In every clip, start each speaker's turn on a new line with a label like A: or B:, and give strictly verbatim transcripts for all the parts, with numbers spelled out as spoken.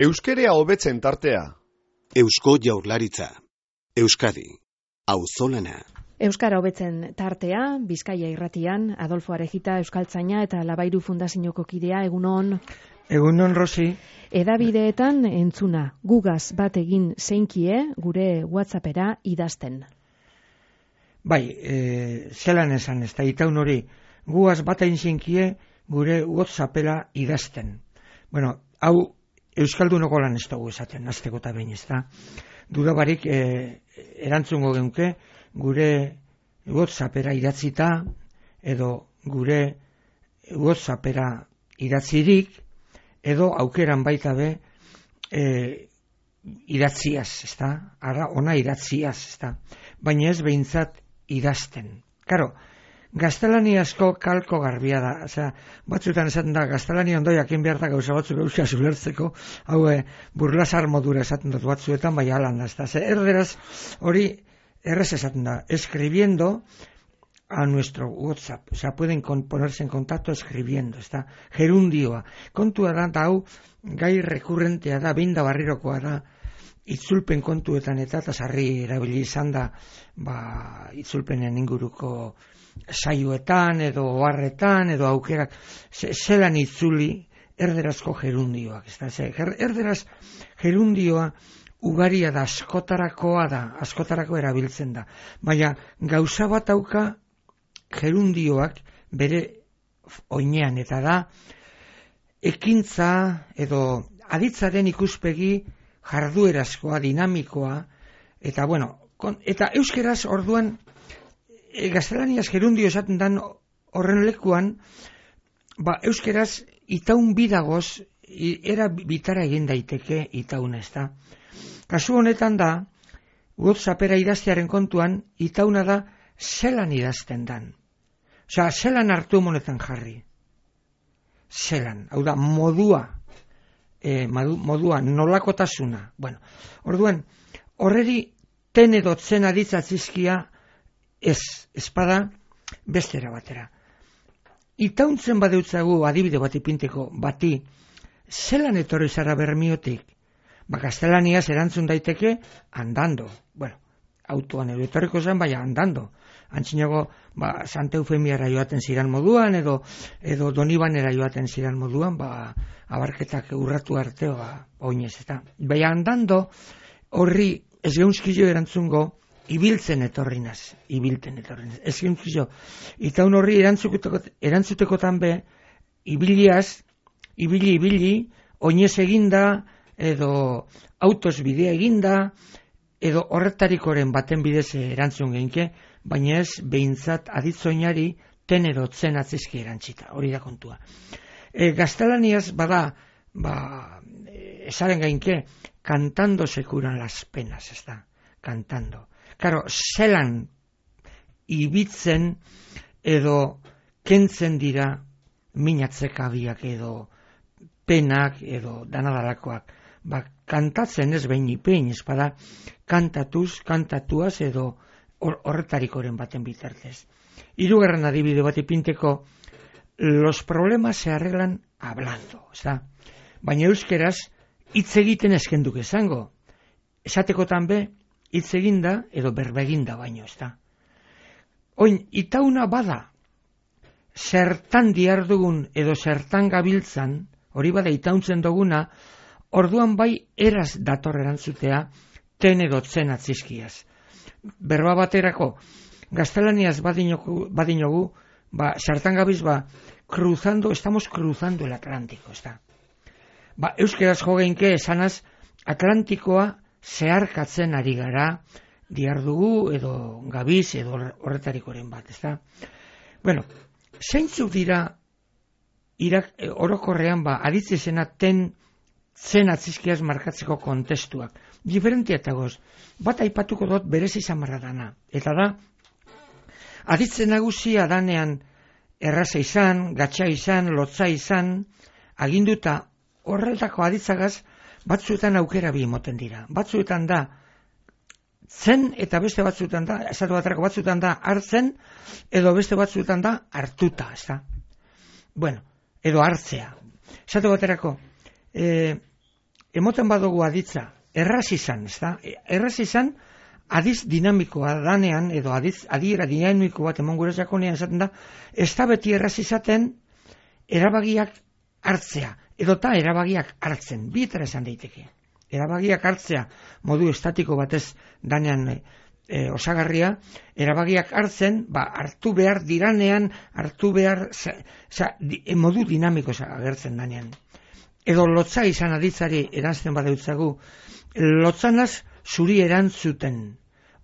A: Euskerea hobetzen tartea.
B: Eusko Jaurlaritza. Euskadi. Auzolana.
C: Euskara hobetzen tartea, Bizkaia irratian, Adolfo Arejita Euskaltzaina eta Labairu Fundazioko kidea, egunon.
D: Egunon, Rosi.
C: Edabideetan entzuna, gugaz bat egin zeinkie gure WhatsAppera idazten.
D: Bai, e, zelan esan ez da, itaun hori, gugaz bat egin zeinkie gure WhatsAppera idazten. Bueno, hau Euskaldunoko lan ez dugu esaten, azteko eta behin ez da. Dudabarik e, erantzungo geunke, gure WhatsAppera idatzita, edo gure WhatsAppera idatzirik, edo aukeran baita be e, idatziaz, ez da? Ara, ona idatziaz, ez da? Baina ez behintzat idazten. Karo, gaztelaniazko kalko garbia da, osea, batzuetan esaten da, gaztelania ondo jakin behar da gauza batzuk euskaz ulertzeko, hau e, burlasar modura esaten dut batzuetan, bai alan da, ez da? Erderaz hori errez esaten da, escribiendo a nuestro WhatsApp, o sea, pueden ponerse en contacto escribiendo, está, gerundioa. Kontua da, da hau, gai rekurrentea da, behin da barrirokoa da, itzulpen kontuetan eta eta sarri erabili izan da, ba, itzulpenen inguruko saioetan, edo oharretan, edo aukerak, zelan itzuli erderazko gerundioak, ez da, erderaz gerundioa ugaria da, askotarakoa da, askotarako erabiltzen da, baina gauza bat auka gerundioak bere oinean, eta da ekintza edo aditzaren ikuspegi jarduerazkoa, dinamikoa, eta bueno, kon, eta euskeraz orduan e, gaztelaniaz gerundio esaten dan horren lekuan, ba euskeraz itaun bidagoz era bitara egin daiteke itauna, ez da. Kasu honetan da, WhatsAppera idaztearen kontuan, itauna da zelan idazten dan. Osea, zelan hartu monetan jarri. Zelan, hau da, modua, e, modua, nolakotasuna. Bueno, orduan, horreri ten edo tzen aditzatzizkia ez, espada bestera batera. Itauntzen badeutzagu adibide bat ipinteko bati, zelan etorri zara Bermiotik? Ba, gaztelaniaz erantzun daiteke andando. Bueno, autoan edo etorriko zen, baina andando. Antzinago, ba, Santa Eufemiara joaten ziran moduan, edo, edo Donibanera joaten ziran moduan, ba, abarketak urratu arte, ba, oinez, eta. Baina andando, horri ez geunskillo erantzungo, ibiltzen etorrinaz, ibilten etorrinaz. Ez geunskillo, eta un horri erantzutekotan be, ibiliaz, ibili, ibili, oinez eginda, edo autos bidea eginda, edo horretarikoren baten bidez erantzun geinke, baina ez behintzat aditzoinari ten edo tzen atzizki erantzita, hori da kontua. E, gaztelaniaz bada, ba, esaren geinke, cantando se curan las penas, ez da, cantando. Karo, zelan ibitzen edo kentzen dira minatzekabiak edo penak edo danadalakoak. Ba, kantatzen ez behin ipein, espada, kantatuz, kantatuaz edo horretarikoren baten bitartez. Hirugarren adibide bat ipinteko, los problemas se arreglan hablando, ez da? Baina euskeraz, hitz egiten eskenduk esango. Esatekotan be, hitz eginda edo berbeginda baino, ez da? Oin, itauna bada, zertan diardugun edo zertan gabiltzan, hori bada itauntzen duguna, orduan bai eraz dator erantzutea ten edo tzen atzizkiaz. Berba baterako, gaztelaniaz badinogu, badinogu ba, sartan gabiz, ba, cruzando, estamos cruzando el Atlántico, ez da. Ba, euskeraz jogeinke esanaz, Atlantikoa zeharkatzen ari gara, diardugu edo gabiz edo horretarikoren bat, ez da. Bueno, zeintzuk dira irak, orokorrean ba, aditzizena ten zen atzizkiaz markatzeko kontestuak. Diferentia eta goz, bat aipatuko dut berez izan marra dana. Eta da, aditzen nagusia danean erraza izan, gatsa izan, lotza izan, aginduta horretako aditzagaz, batzuetan aukera bi moten dira. Batzuetan da, zen eta beste batzuetan da, esatu baterako batzuetan da hartzen, edo beste batzuetan da hartuta, ez da. Bueno, edo hartzea. Esatu baterako, e, emoten badugu aditza, erraz izan, ez da? Erraz izan, adiz dinamikoa danean, edo adiz, adiera dinamiko bat emon gure jakonean esaten da, ez da beti erraz izaten erabagiak hartzea, edota erabagiak hartzen, bietara esan daiteke. Erabagiak hartzea modu estatiko batez danean e, osagarria, erabagiak hartzen, ba, hartu behar diranean, hartu behar, za, za, di, modu dinamiko agertzen danean. Edo lotza izan aditzari erantzten badeutzagu, lotzanaz zuri erantzuten,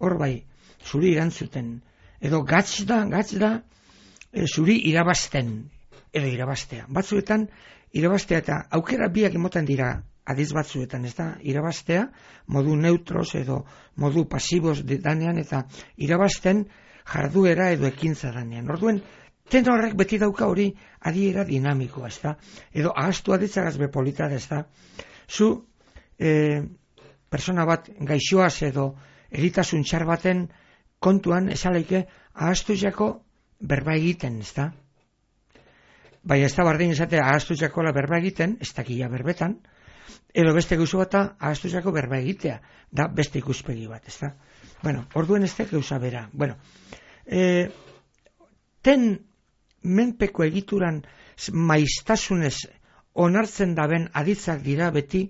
D: hor bai, zuri erantzuten, edo gatz da, gatz da, e, zuri irabazten, edo irabaztea. Batzuetan, irabaztea eta aukera biak emoten dira adiz batzuetan, ez da, irabaztea, modu neutros edo modu pasibos danean, eta irabazten jarduera edo ekintza danean. Orduen, tenorrek beti dauka hori adiera dinamikoa, ez da, edo ahaztu aditzagaz bepolita, ez da, zu e, persona bat gaixoaz edo eritasun txar baten kontuan esaleike ahaztu jako berba egiten, ez da. Bai, ez da bardin esatea ahaztu jakola berba egiten, ez dakia berbetan, edo beste gauza bat ahaztu jako berba egitea, da beste ikuspegi bat, ez da. Bueno, orduen ez da gauza bera. Bueno, e, ten menpeko egituran maiztasunez onartzen daben aditzak dira beti,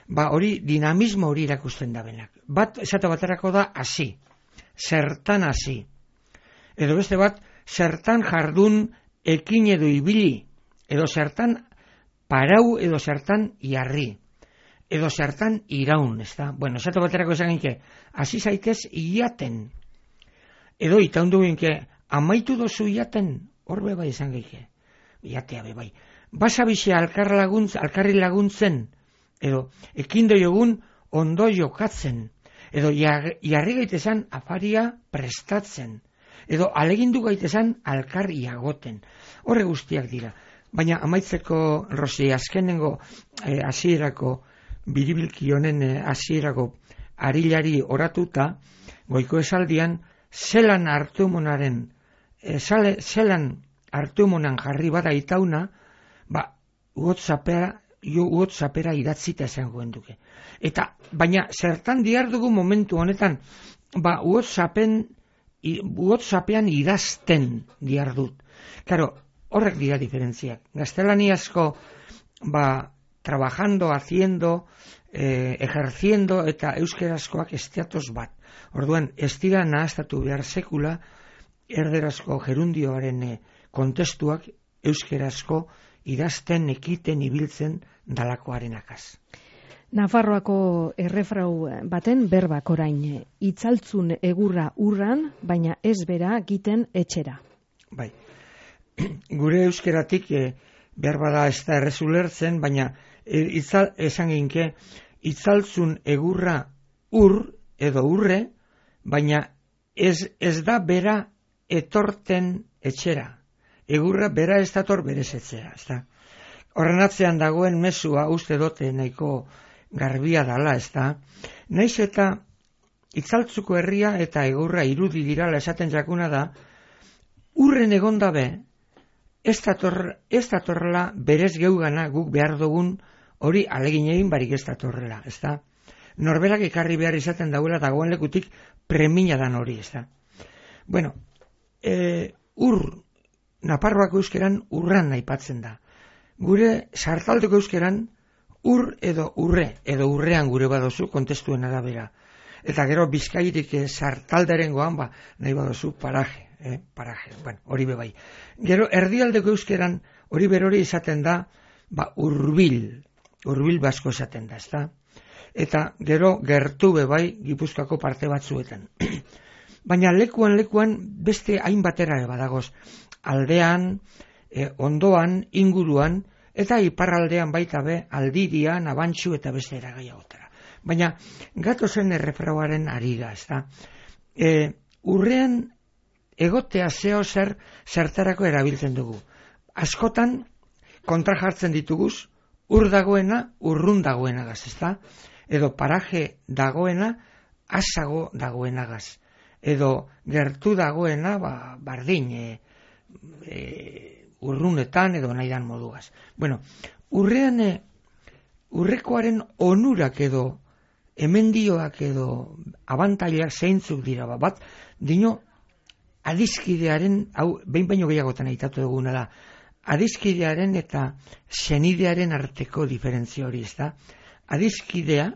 D: ba hori dinamismo hori irakusten dabenak. Bat esate baterako da hasi, zertan hasi. Edo beste bat, zertan jardun ekin edo ibili, edo zertan parau edo zertan jarri, edo zertan iraun, ez da? Bueno, esate baterako esan ginke, hasi zaitez iaten, edo itaundu ginke, amaitu dozu iaten, horbe bai esan ginke, iatea be bai. Basa bize alkar laguntz, alkarri laguntzen, edo ekindo jogun ondo jokatzen, edo jarri gaitezan afaria prestatzen, edo alegindu gaitezan alkar iagoten. Horre guztiak dira. Baina amaitzeko, Rosi, azkenengo eh, hasierako biribilki honen eh, hasierako arilari oratuta, goiko esaldian, zelan hartumonaren, eh, zale, zelan hartumonan jarri bada itauna, ba, uotzapera, jo uotzapera idatzita esangoen duke. Eta, baina, zertan diar dugu momentu honetan, ba, uotzapen, uotzapean idazten diar dut. Claro, horrek dira diferentziak. Gaztelaniazko, ba, trabajando, haciendo, eh, ejerciendo, eta euskerazkoak estiatoz bat. Orduan, ez dira nahaztatu behar sekula, erderazko gerundioaren eh, kontestuak euskerazko idazten, ekiten, ibiltzen dalakoaren akaz.
C: Nafarroako errefrau baten berbak orain, itzaltzun egurra urran, baina ez bera giten etxera.
D: Bai, gure euskeratik e, behar bada ez da errezulertzen, baina e, itzal, esan ginke, itzaltzun egurra ur edo urre, baina ez, ez da bera etorten etxera. Egurra bera ez dator berez etxera, ez da. Horren atzean dagoen mezua uste dote nahiko garbia dala, ez da. Naiz eta itzaltzuko herria eta egurra irudi dirala esaten jakuna da, urren egondabe, ez dator, ez datorrela berez geugana guk behar dugun hori alegin egin barik ez datorrela, ez da. Norberak ekarri behar izaten dauela dagoen lekutik premina dan hori, ez da. Bueno, e, ur, Nafarroako euskeran urran aipatzen da. Gure sartaldeko euskeran ur edo urre, edo urrean gure badozu kontestuen arabera. Eta gero Bizkaitik sartalderen goan, ba, nahi badozu paraje, eh, paraje, bueno, hori bebai. Gero erdialdeko euskeran hori berori izaten da, ba, urbil, urbil basko esaten da, ezta? Eta gero gertu bebai Gipuzkoako parte batzuetan. Baina lekuan lekuan beste hainbatera badagoz. Aldean, eh, ondoan, inguruan, eta iparraldean baita be, aldirian, abantxu eta beste eragaiagotara. Baina, gatozen errefrauaren arira, ez da. E, urrean, egotea zeo zer, zertarako erabiltzen dugu. Askotan, kontra jartzen dituguz, ur dagoena, urrun dagoenagaz, ez da. Edo paraje dagoena, asago dagoenagaz. Edo gertu dagoena, ba, bardin, e, e, urrunetan edo nahidan modugaz. Bueno, urrean e, urrekoaren onurak edo emendioak edo abantailak zeintzuk dira, bat, dino, adizkidearen, hau, behin baino gehiagotan aitatu duguna da, adizkidearen eta senidearen arteko diferentzia hori, ez da? Adizkidea,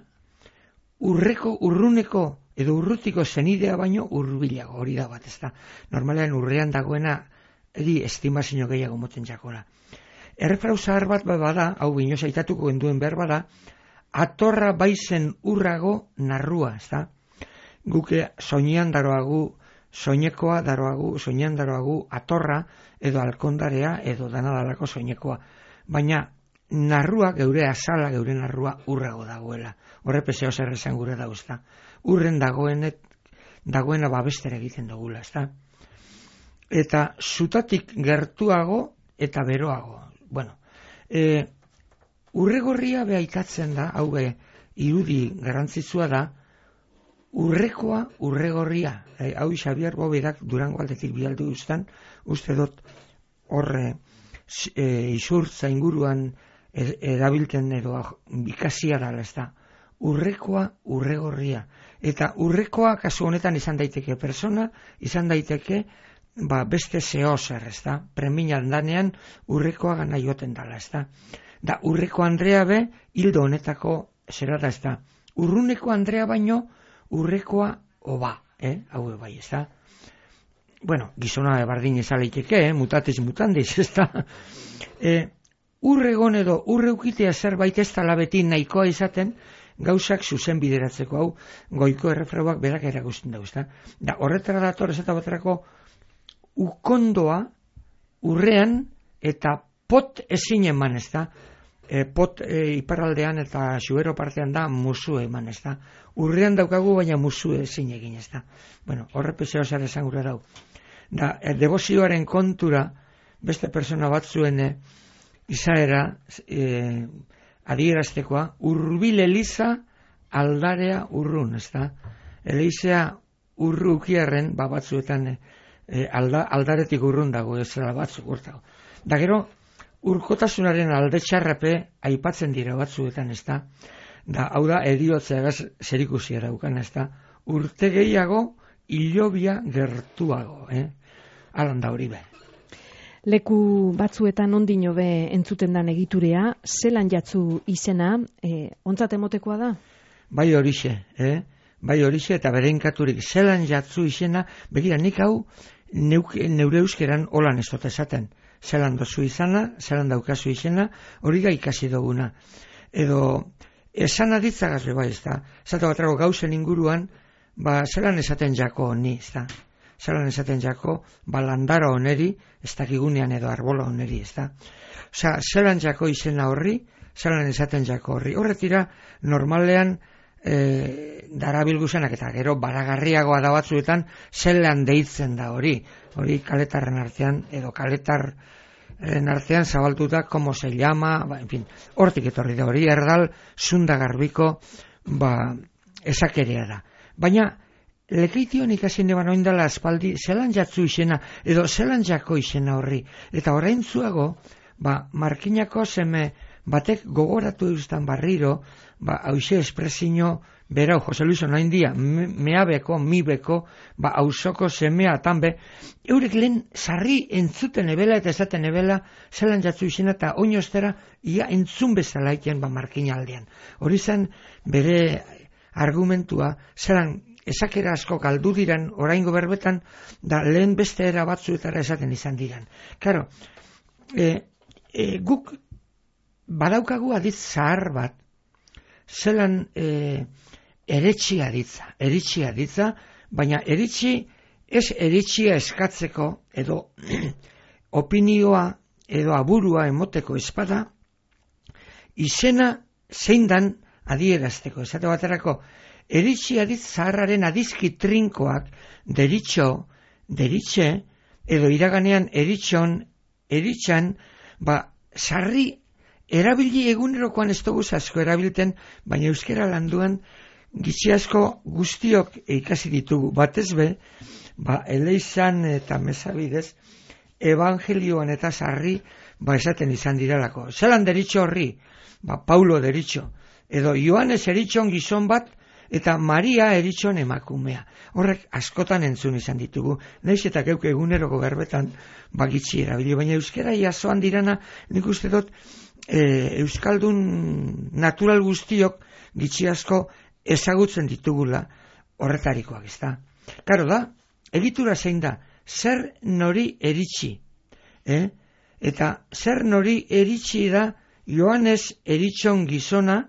D: urreko, urruneko edo urrutiko senidea baino urbilago hori da bat, ez da? Normalean urrean dagoena, edi estimazio gehiago moten jakora. Errefrau zahar bat bada, hau binoz aitatuko genduen behar bada, atorra baizen urrago narrua, ez da? Guke soinean daroagu, soinekoa daroagu, soinean daroagu atorra edo alkondarea edo danadalako soinekoa. Baina narrua, geure azala, geure narrua urrago dagoela. Horrepezeo zer esan gure dago, ez da? Urren dagoenet, dagoena babestera egiten dugula, ez da? Eta zutatik gertuago eta beroago. Bueno, e, urregorria behaitatzen da, hau be, irudi garantzitsua da, urrekoa urregorria. E, hau Xabier Bobedak Durango aldetik bialdu duztan, uste dut horre e, isurtza inguruan erabilten edo ikasia dala, ez da. Urrekoa urregorria. Eta urrekoa kasu honetan izan daiteke persona, izan daiteke ba, beste zeo zer, ez da. Preminan danean urrekoa gana joten dala, ez da. Da, urreko Andrea be, hildo honetako zera da, ez da. Urruneko Andrea baino, urrekoa oba, eh? Hau bai, ez da. Bueno, gizona bardin ezaleiteke, eh? Mutatis mutandis, ez da. Eh, urregon edo urreukitea zerbait ez da labeti nahikoa izaten, gauzak zuzen bideratzeko, hau goiko errefrauak berak erakusten dago, ez da. Da, horretara dator ez eta baterako ukondoa urrean eta pot ezin eman, ez da. E, pot e, iparraldean eta xuero partean da musu eman, ez da. Urrean daukagu baina musu ezin egin, ez da. Bueno, horrepezeo zer esan gure dau. Da, e, devozioaren kontura beste persona batzuen e, izaera e, adieraztekoa, urbil eliza aldarea urrun, ez da. Elizea urru ukiarren, ba batzuetan e, alda, aldaretik urrun dago, ez da batzuk urtago. Da gero, urkotasunaren alde txarrape aipatzen dira batzuetan, ez da. Da, hau da, eriotzeagaz zerikusia daukan, ez da. Urte gehiago, hilobia gertuago, eh? Alan da hori be.
C: Leku batzuetan ondino be entzuten dan egiturea, zelan jatzu izena, e, ontzat emotekoa da?
D: Bai horixe, eh? Bai horixe eta bereinkaturik zelan jatzu izena, begira nik hau neuk, neure euskeran holan ez dut esaten. Zelan dozu izana, zelan daukazu izena, hori ga ikasi duguna. Edo, esan aditzagaz bai, ez da. Zata batrako gauzen inguruan, ba, zelan esaten jako ni, ez da. Zelan esaten jako, ba, landara oneri, ez dakigunean edo arbola oneri, ez da. Osa, zelan jako izena horri, zelan esaten jako horri. Horretira, normalean, e, darabilguzenak eta gero baragarriagoa da batzuetan, zelan deitzen da hori. Hori kaletarren artean, edo kaletarren artean zabaltuta, como se llama, ba, en fin, hortik etorri da hori, erdal, zunda garbiko, ba, esakerea da. Baina, lekeition ikasin eban oindala aspaldi, zelan jatzu izena, edo zelan jako izena horri. Eta orain zuago, ba, markinako seme batek gogoratu eustan barriro, ba, hauxe espresino, berau, Jose Luis onain dia, meabeko, mibeko, ba, hausoko semea tanbe, eurek lehen sarri entzuten ebela eta esaten ebela, zelan jatzu izena eta oinostera, ia entzun bezala iten, ba, markina aldean. Hori zen, bere argumentua, zelan esakera asko galdu diran, oraingo berbetan, da lehen beste era batzuetara esaten izan diran. Claro, e, e, guk badaukagu aditz zahar bat, zelan e, eretxia ditza, eritxia ditza, baina eritxi, ez eritxia eskatzeko, edo opinioa, edo aburua emoteko espada, izena zein dan adierazteko. Esate baterako, eritxia ditz zaharraren adizki trinkoak, deritxo, deritxe, edo iraganean eritxon, eritxan, ba, sarri erabili egunerokoan ez dugu asko erabilten, baina euskera landuan gitxi asko guztiok ikasi ditugu. Batez be, ba, eleizan eta mesabidez, evangelioan eta sarri, ba esaten izan diralako. Zelan deritxo horri, ba Paulo deritxo, edo Joanes eritxon gizon bat, eta Maria eritxon emakumea. Horrek askotan entzun izan ditugu. Naiz eta geuk eguneroko berbetan bagitzi erabili, baina euskera jasoan dirana, nik uste dut e, euskaldun natural guztiok gitxi asko ezagutzen ditugula horretarikoak, ezta. Karo da, egitura zein da, zer nori eritxi, eh? Eta zer nori eritxi da Joanes eritxon gizona,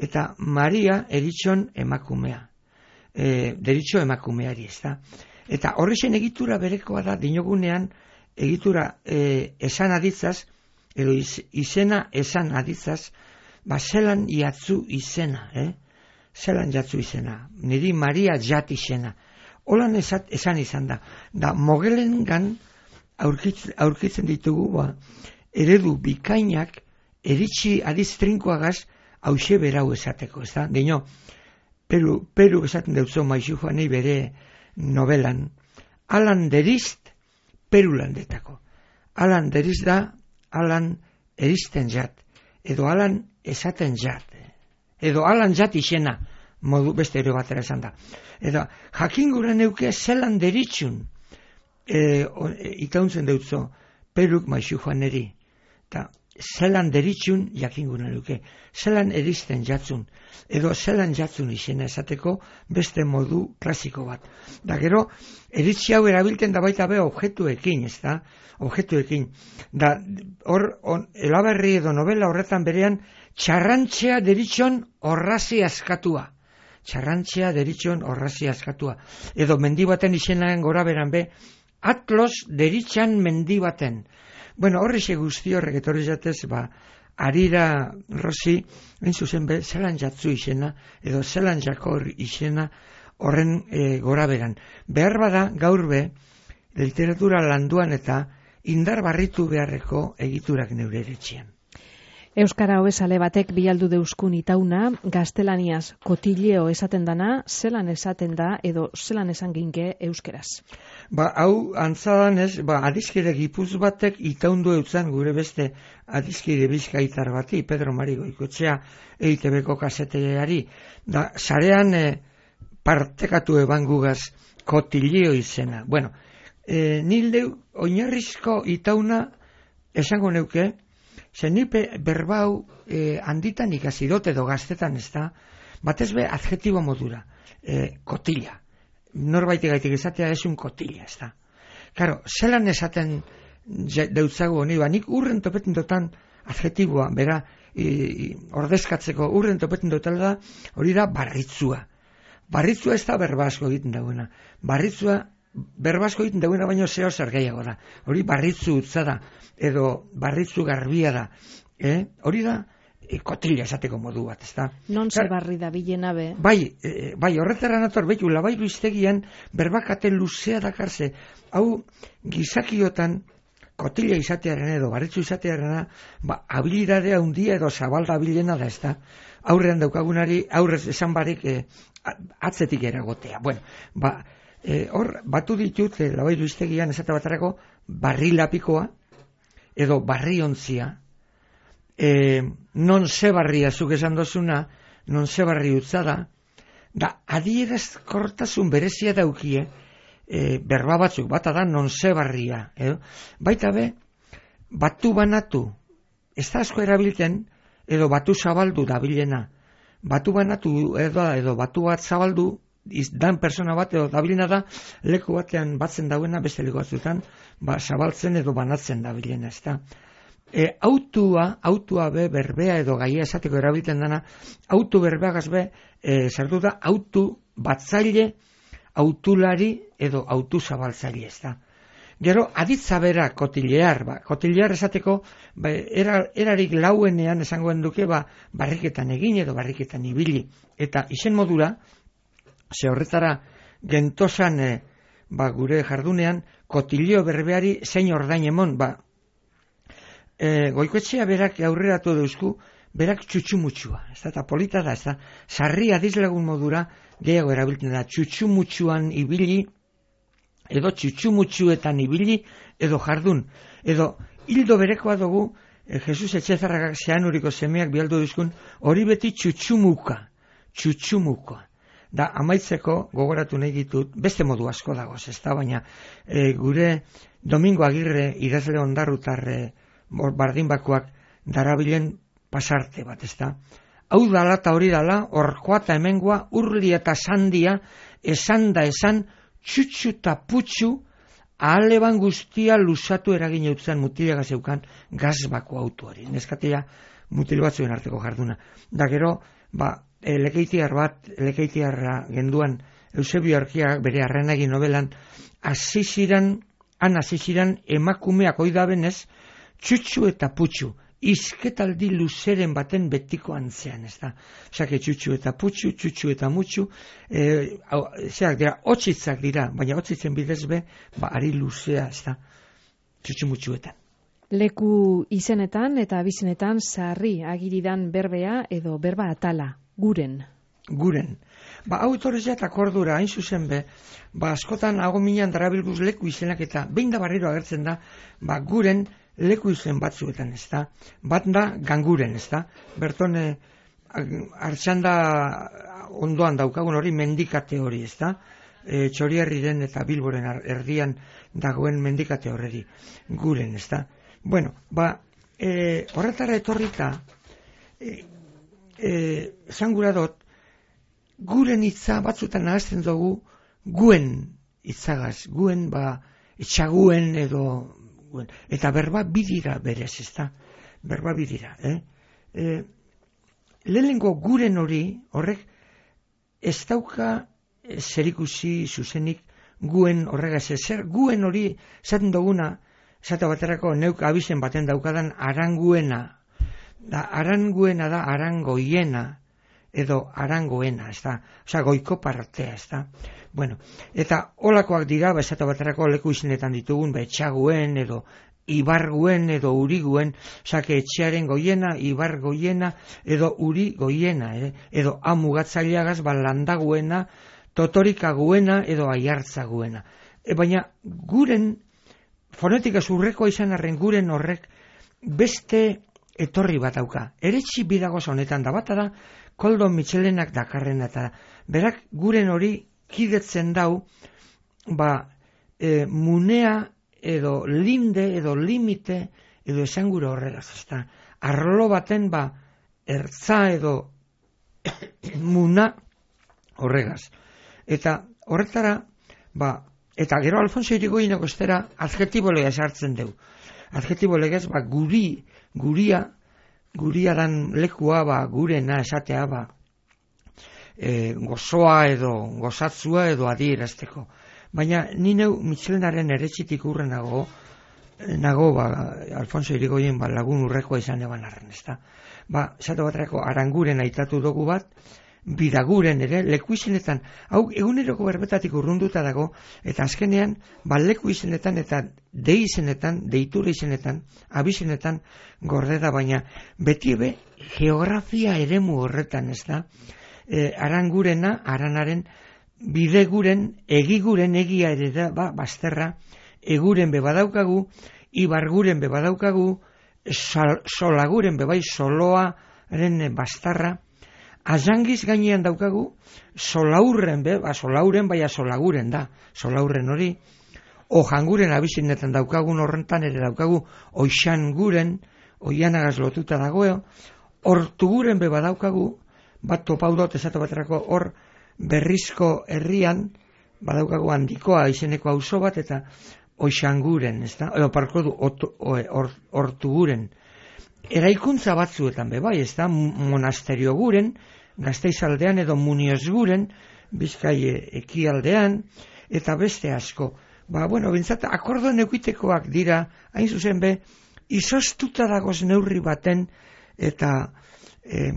D: eta Maria eritxon emakumea. E, deritxo emakumeari, ez da. Eta horrexen egitura berekoa da, dinogunean egitura e, esan aditzaz, edo iz, izena esan aditzaz, ba zelan jatzu izena, eh? Zelan jatzu izena. Niri Maria jat izena. Holan esat, esan izan da. Da mogelengan aurkitzen, aurkitzen ditugu, ba, eredu bikainak eritxi adiz trinkoagaz, hause berau esateko, ez da? Dino, Peru, Peru esaten deutzo Maizu Joanei bere novelan, alan derizt Peru landetako. Alan deriz da, alan eristen jat, edo alan esaten jat, edo alan jat izena, modu beste ere batera esan da. Edo, jakin gure neuke zelan deritxun, e, e, itauntzen deutzo Peruk Maizu Joaneri, eta zelan deritxun jakinguna duke, zelan eristen jatzun, edo zelan jatzun izena esateko beste modu klasiko bat. Da gero, eritzi hau erabilten da baita be objektuekin, ez da? Objektuekin. Da, hor, elaberri edo novela horretan berean, txarrantzea deritxon horrazi askatua. Txarrantzea deritxon horrazi askatua. Edo mendi baten izenaren gora beran be, Atlos deritxan mendi baten. Bueno, horrexe guzti horrek etorri jatez, ba, Arira Rosi, hain zuzen be, zelan jatzu izena, edo zelan jakor izena horren e, gora beran. Behar bada, gaur be, literatura landuan eta indar barritu beharreko egiturak neure eretxean.
C: Euskara hobezale batek bialdu deuskun itauna, gaztelaniaz kotileo esaten dana, zelan esaten da edo zelan esan ginke euskeraz.
D: Ba, hau antzadan ez, ba, adizkide gipuz batek itaundu eutzan gure beste adizkide bizkaitar bati, Pedro Mari Goikoetxea E I Te Beko kaseteari, da, sarean e, partekatu eban gugaz kotileo izena. Bueno, e, nildeu oinarrizko itauna esango neuke, zenipe berbau e, handitan ikasi dut edo gaztetan ez da, batez be adjetibo modura, e, kotila. Norbait gaitik esatea esun kotila, ez da. Karo, zelan esaten deutzagu honi, ba, nik urren topetin dutan adjetiboa, bera, e, ordezkatzeko urren topetin dutan da, hori da barritzua. Barritzua ez da berbasko egiten dagoena. Barritzua berbasko egiten dagoena baino zeo zer gehiago da. Hori barritzu utza da, edo barritzu garbia da. Eh? Hori da e, kotila esateko modu bat, ez da.
C: Non ze barri da bilena be.
D: Bai, e, bai, horretara nator, behitu, labairu iztegian berbakate luzea dakarze. Hau, gizakiotan kotila izatearen edo barritzu izatearen, ba, habilidadea handia edo zabalda bilena da, ez da. Aurrean daukagunari, aurrez esan barik e, atzetik eragotea. Bueno, ba, e, hor, batu ditut, e, labairu iztegian esate batarako, barri lapikoa, edo barri ontzia, e, non ze barria zuk esan dozuna, non ze barri utza da, da adierazkortasun berezia daukie, e, berba batzuk, bata da non ze barria, edo? Baita be, batu banatu, ez da asko erabilten, edo batu zabaldu dabilena, batu banatu edo, edo batu bat zabaldu, dan persona bat edo dabilena da, leku batean batzen dauena, beste leku batzutan, ba, zabaltzen edo banatzen dabilena, ez da. E, autua, autua be, berbea edo gaia esateko erabiltzen dana, autu berbeagaz be, e, zertu da, autu batzaile, autulari edo autu zabaltzaile, ez da. Gero, aditza bera kotilear, ba, kotilear esateko, ba, era, erarik lauenean esangoen duke, ba, barriketan egin edo barriketan ibili. Eta izen modura, ze horretara gentosan e, ba, gure jardunean, kotileo berbeari zein ordain emon, ba, e, Goikoetxea berak aurreratu deuzku, berak txutxumutsua, ez da, eta polita da, ez da, sarri adizlagun modura, gehiago erabiltzen da, txutxumutsuan ibili, edo txutxumutsuetan ibili, edo jardun, edo hildo berekoa dugu, e, Jesus Etxezarrakak zeanuriko semeak bialdu duzkun, hori beti txutxumuka, txutxumuka. Da, amaitzeko gogoratu nahi ditut, beste modu asko dagoz, ez da, baina e, gure Domingo Agirre idazle ondarrutarre bardinbakoak darabilen pasarte bat, ez da. Hau dala eta hori dala, orkoa eta hemengoa, urli eta sandia, esan da esan, txutxu eta putxu, ahaleban guztia lusatu eragin eutzen mutilaga zeukan gazbako autoari. Neskatea mutil batzuen arteko jarduna. Da gero, ba, e, lekeitiar bat, lekeitiarra genduan Eusebio Arkiak bere Arrenagi novelan, aziziran, han aziziran emakumeak oidabenez, txutxu eta putxu, izketaldi luzeren baten betiko antzean, ez da. Osake txutxu eta putxu, txutxu eta mutxu, e, zeak dira, otxitzak dira, baina otxitzen bidez be, ba, ari luzea, ez da, txutxu mutxuetan.
C: Leku izenetan eta abizenetan sarri agiridan berbea edo berba atala, guren.
D: Guren. Ba, hau etorrezat akordura, hain zuzen be, ba, askotan hago minan darabilguz leku izenak eta behin da barriro agertzen da, ba, guren leku izen batzuetan, ez da. Bat da, ganguren, ez da. Berton, e, hartxanda ondoan daukagun hori mendikate hori, ez da. E, Txoriarriren eta Bilboren erdian dagoen mendikate horreri, guren, ez da. Bueno, ba, e, horretara etorrita, e, e, zangura dot, guren hitza batzutan nahazten dugu guen hitzagaz, guen ba etxaguen edo guen. Eta berba bidira berez, ez da? Berba bidira, eh? E, lehenengo guren hori, horrek ez dauka zerikusi zuzenik guen horregaz, zer guen hori zaten duguna, zata baterako neuk abizen baten daukadan aranguena, da aranguena da arangoiena, edo arangoena, ez da, oza, goiko partea, ez da. Bueno, eta olakoak dira, bezata baterako leku izenetan ditugun, betxaguen, edo ibarguen, edo uriguen, oza, etxearen goiena, ibar goiena, edo uri goiena, eh? Edo amugatzaileagaz, balandaguena, totorikaguena, edo aiartzaguena. E, baina, guren, fonetika zurrekoa izan arren guren horrek, beste etorri bat dauka. Eretxi bidagoz honetan da, bata da, Koldo Mitxelenak dakarren eta berak guren hori kidetzen dau, ba, e, munea edo linde edo limite edo esangura horregaz, ezta. Arlo baten ba, ertza edo muna horregaz. Eta horretara, ba, eta gero Alfonso Irigoyeneko estera adjetibo legez hartzen deu. Adjetibo legez, ba, guri, guria, guria dan lekua, ba, gurena esatea, ba, e, gozoa edo gozatzua edo adierazteko. Baina ni neu Mitxelenaren eretxitik urren nago, nago, ba, Alfonso Irigoyen ba, lagun urrekoa izan eban arren, ezta. Ba, esate baterako aranguren aitatu dugu bat, bidaguren ere, leku izenetan, hau eguneroko berbetatik urrunduta dago, eta azkenean, ba, leku izenetan eta de izenetan, deitura izenetan, abizenetan gorde da, baina beti ebe geografia eremu horretan, ez da, e, arangurena, aranaren, bideguren, egiguren egia ere da, ba, bazterra, eguren be badaukagu, ibarguren be badaukagu, sol, solaguren be bai, soloaren bastarra, azangiz gainean daukagu, solaurren be, ba, solauren baina solaguren da, solaurren hori, ojanguren abizinetan daukagun horrentan ere daukagu, oixan guren, oianagaz lotuta dagoeo, hortuguren be badaukagu, bat topaudot esate baterako hor berrizko herrian, badaukagu handikoa izeneko auzo bat, eta oixanguren, ez da, edo parko du, hortuguren. Eraikuntza batzuetan be bai, ez da, monasterio guren, Gasteizaldean edo Munioz guren, Bizkai ekialdean, eta beste asko. Ba, bueno, bintzat, akordoen eukitekoak dira, hain zuzen be, izostuta dagoz neurri baten, eta e,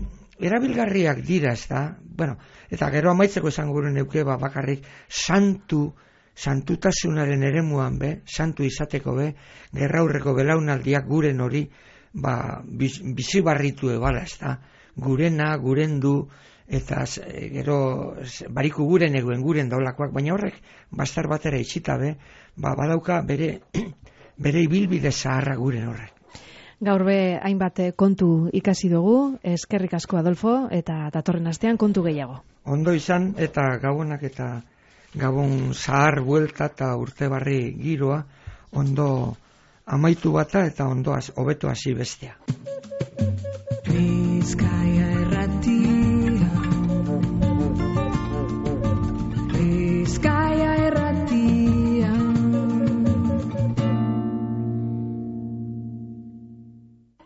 D: erabilgarriak dira, ez da, bueno, eta gero amaitzeko esan guren euke, ba, bakarrik, santu, santutasunaren eremuan be, santu izateko be, gerraurreko belaunaldiak guren hori, ba, bizi barritu ebala, ez da, gurena, gurendu, eta gero bariku guren eguen guren daulakoak, baina horrek bastar batera itxita be, ba, badauka bere bere ibilbide zaharra gure horrek.
C: Gaur be hainbat kontu ikasi dugu, eskerrik asko Adolfo, eta datorren astean kontu gehiago.
D: Ondo izan eta gabonak eta gabon zahar buelta eta urte barri giroa ondo amaitu bata eta ondo hobeto hasi bestea. Bizkaia errati